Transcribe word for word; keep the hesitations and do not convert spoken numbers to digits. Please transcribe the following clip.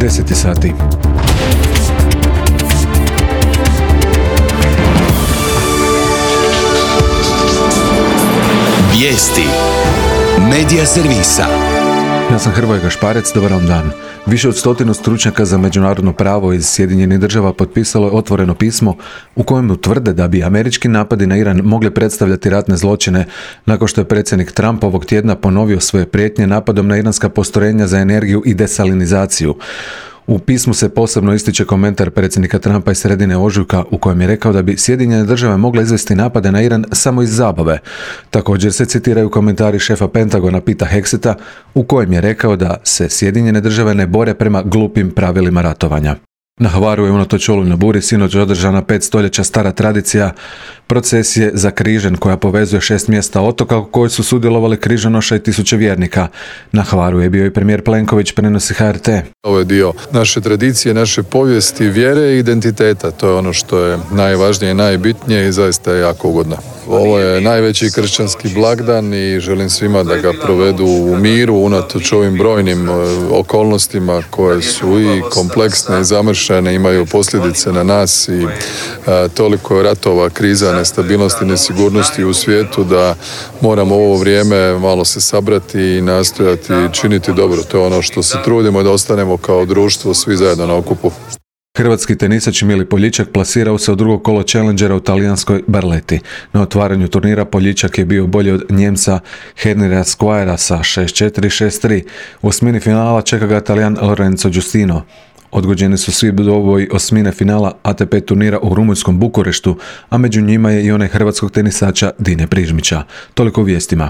deset sati. Vijesti Medija servisa. Ja sam Hrvoje Gašparec, dobar vam dan. Više od stotinu stručnjaka za međunarodno pravo iz Sjedinjenih država potpisalo je otvoreno pismo u kojem tvrde da bi američki napadi na Iran mogli predstavljati ratne zločine nakon što je predsjednik Trump ovog tjedna ponovio svoje prijetnje napadom na iranska postrojenja za energiju i desalinizaciju. U pismu se posebno ističe komentar predsjednika Trumpa iz sredine ožujka u kojem je rekao da bi Sjedinjene države mogle izvesti napade na Iran samo iz zabave. Također se citiraju komentari šefa Pentagona Pita Hegseta u kojem je rekao da se Sjedinjene države ne bore prema glupim pravilima ratovanja. Na Hvaru je unatoč olujnoj buri sinoć održana pet stoljeća stara tradicija procesije za križan koja povezuje šest mjesta otoka u kojoj su sudjelovali križanoša i tisuće vjernika. Na Hvaru je bio i premijer Plenković, prenosi H R T. Ovo je dio naše tradicije, naše povijesti, vjere i identiteta. To je ono što je najvažnije i najbitnije i zaista je jako ugodno. Ovo je najveći kršćanski blagdan i želim svima da ga provedu u miru unatoč ovim brojnim okolnostima koje su i kompleksne i zamršene, imaju posljedice na nas i a, toliko ratova, kriza, nestabilnosti, nesigurnosti u svijetu da moramo ovo vrijeme malo se sabrati i nastojati činiti dobro. To je ono što se trudimo da ostanemo kao društvo svi zajedno na okupu. Hrvatski tenisač Mili Poljičak plasirao se u drugo kolo Challengera u talijanskoj Barletti. Na otvaranju turnira Poljičak je bio bolji od Njemca Henrya Squires sa šest četiri šest tri. U osmini finala čeka ga Talijan Lorenzo Giustino. Odgođeni su svi bodovi osmine finala A T P turnira u rumunjskom Bukureštu, a među njima je i onaj hrvatskog tenisača Dine Prižmića. Toliko u vijestima.